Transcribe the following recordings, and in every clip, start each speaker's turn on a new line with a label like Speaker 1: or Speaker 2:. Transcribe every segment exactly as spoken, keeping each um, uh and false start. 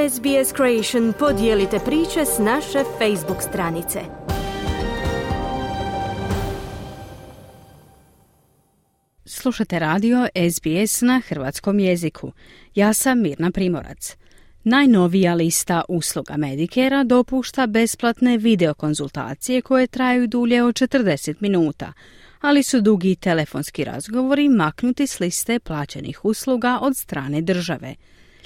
Speaker 1: S B S Creation podijelite priče s naše Facebook stranice.
Speaker 2: Slušate radio S B S na hrvatskom jeziku. Ja sam Mirna Primorac. Najnovija lista usluga Medicare dopušta besplatne videokonzultacije koje traju dulje od četrdeset minuta, ali su dugi telefonski razgovori maknuti s liste plaćenih usluga od strane države.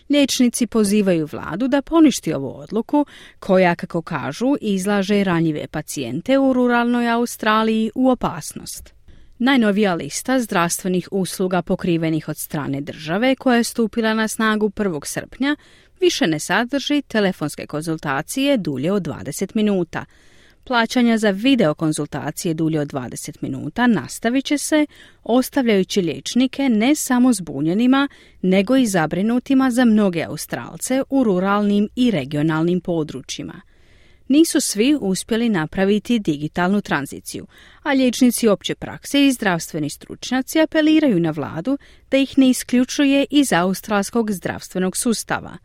Speaker 2: Liječnici pozivaju vladu da poništi ovu odluku koja, kako kažu, izlaže ranjive pacijente u ruralnoj Australiji u opasnost. Najnovija lista zdravstvenih usluga pokrivenih od strane države, koja je stupila na snagu prvog srpnja, više ne sadrži telefonske konzultacije dulje od dvadeset minuta. Plaćanja za videokonzultacije dulje od dvadeset minuta nastavit će se, ostavljajući liječnike ne samo zbunjenima, nego i zabrinutima za mnoge Australce u ruralnim i regionalnim područjima. Nisu svi uspjeli napraviti digitalnu tranziciju, a liječnici opće prakse i zdravstveni stručnjaci apeliraju na vladu da ih ne isključuje iz australskog zdravstvenog sustava.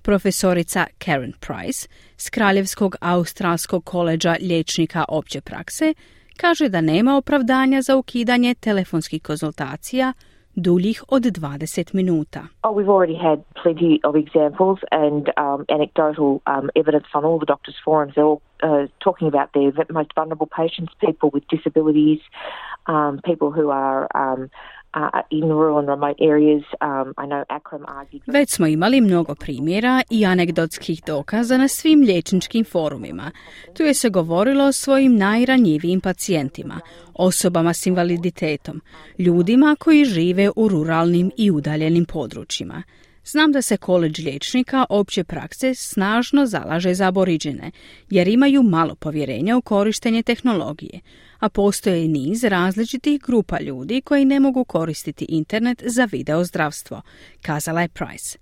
Speaker 2: Profesorica Karen Price s Kraljevskog australskog koledža liječnika opće prakse kaže da nema opravdanja za ukidanje telefonskih konzultacija duljih od dvadeset minuta.
Speaker 3: Oh, we've already had plenty of examples and um, anecdotal um, evidence on all the doctors' forums. They're all uh, talking about their most vulnerable patients, people with disabilities, um, people who are um, uh, in rural and remote areas. Um, I know Akram argued...
Speaker 2: Već smo imali mnogo primjera i anegdotskih dokaza na svim liječničkim forumima. Tu je se govorilo o svojim najranjivijim pacijentima, osobama s invaliditetom, ljudima koji žive u ruralnim i udaljenim područjima. Znam da se koledž liječnika opće prakse snažno zalaže za aboriđene, jer imaju malo povjerenja u korištenje tehnologije, a postoje i niz različitih grupa ljudi koji ne mogu koristiti internet za video zdravstvo, kazala je Price.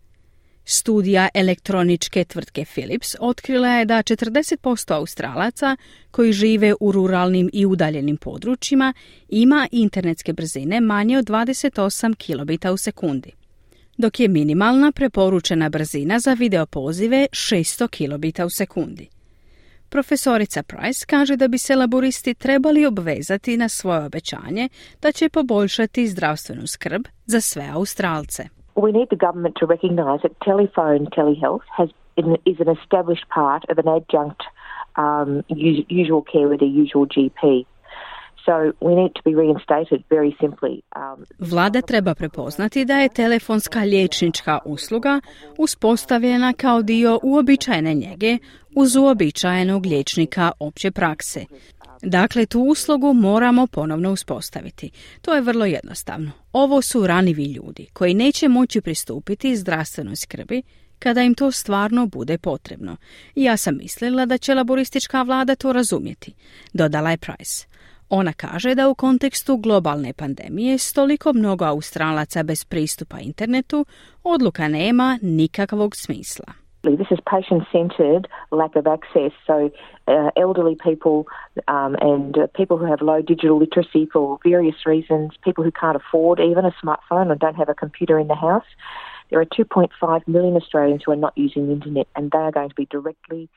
Speaker 2: Studija elektroničke tvrtke Philips otkrila je da četrdeset posto Australaca koji žive u ruralnim i udaljenim područjima ima internetske brzine manje od dvadeset osam kilobita u sekundi, dok je minimalna preporučena brzina za videopozive šesto kilobita u sekundi. Profesorica Price kaže da bi se laboristi trebali obvezati na svoje obećanje da će poboljšati zdravstvenu skrb za sve Australce.
Speaker 3: We need the government to recognise that telephone telehealth has is an established part of an adjunct um, usual care with a usual G P. So we need to be reinstated very simply. Um,
Speaker 2: Vlada treba prepoznati da je telefonska liječnička usluga uspostavljena kao dio uobičajene njege uz uobičajenog liječnika opće prakse. Dakle, tu uslugu moramo ponovno uspostaviti. To je vrlo jednostavno. Ovo su ranjivi ljudi koji neće moći pristupiti zdravstvenoj skrbi kada im to stvarno bude potrebno. I ja sam mislila da će laboristička vlada to razumjeti, dodala je Price. Ona kaže da u kontekstu globalne pandemije s toliko mnogo Australaca bez pristupa internetu, odluka nema nikakvog smisla.
Speaker 3: This is patient-centred lack of access, so uh, elderly people um, and uh, people who have low digital literacy for various reasons, people who can't afford even a smartphone or don't have a computer in the house. There are two point five million Australians who are not using the internet and they are going to be directly...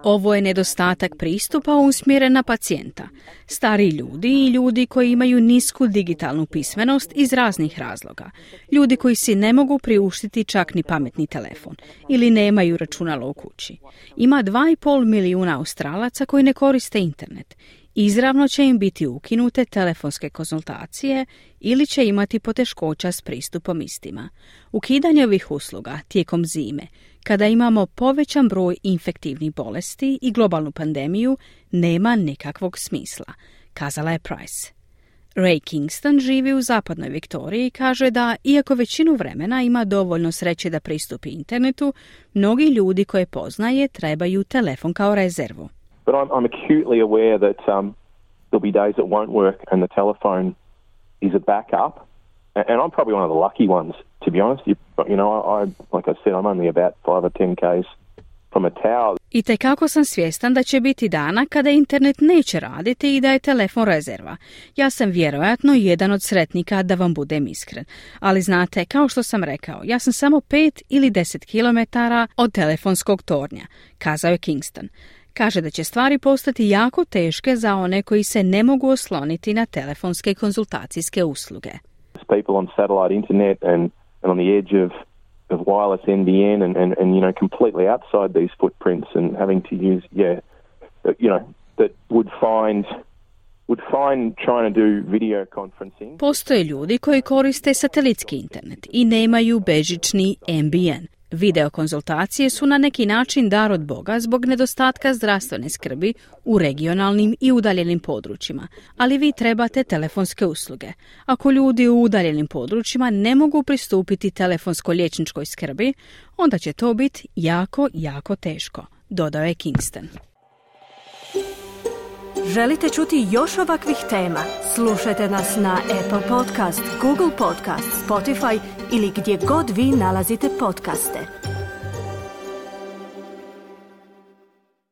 Speaker 2: Ovo je nedostatak pristupa usmjeren na pacijenta. Stari ljudi i ljudi koji imaju nisku digitalnu pismenost iz raznih razloga. Ljudi koji si ne mogu priuštiti čak ni pametni telefon ili nemaju računalo u kući. Ima dva i pol milijuna Australaca koji ne koriste internet. Izravno će im biti ukinute telefonske konzultacije ili će imati poteškoća s pristupom istima. Ukidanje ovih usluga tijekom zime, kada imamo povećan broj infektivnih bolesti i globalnu pandemiju, nema nikakvog smisla, kazala je Price. Ray Kingston živi u zapadnoj Viktoriji i kaže da, iako većinu vremena ima dovoljno sreće da pristupi internetu, mnogi ljudi koje poznaje trebaju telefon kao rezervu.
Speaker 4: But I'm, I'm acutely aware that um, there'll be days that won't work and the telephone is a backup. And, and I'm probably one of the lucky ones, to be honest. You, you know, I, I, like I said, I'm only about five or ten k's from a tower.
Speaker 2: I tekako sam svjestan da će biti dana kada internet neće raditi i da je telefon rezerva. Ja sam vjerojatno jedan od sretnika, da vam budem iskren. Ali znate, kao što sam rekao, ja sam samo pet ili deset kilometara od telefonskog tornja, kazao je Kingston. Kaže da će stvari postati jako teške za one koji se ne mogu osloniti na telefonske konzultacijske usluge.
Speaker 4: People on satellite internet and, and on the edge of of wireless N B N and, and, and, you know, completely outside these footprints and having to use, yeah, you know, that would find, would find trying to do video conferencing.
Speaker 2: Postoje ljudi koji koriste satelitski internet i nemaju bežični N B N. Videokonzultacije su na neki način dar od Boga zbog nedostatka zdravstvene skrbi u regionalnim i udaljenim područjima, ali vi trebate telefonske usluge. Ako ljudi u udaljenim područjima ne mogu pristupiti telefonsko-liječničkoj skrbi, onda će to biti jako, jako teško, dodao je Kingston.
Speaker 1: Želite čuti još ovakvih tema? Slušajte nas na Apple Podcast, Google Podcast, Spotify ili gdje god vi nalazite podcaste.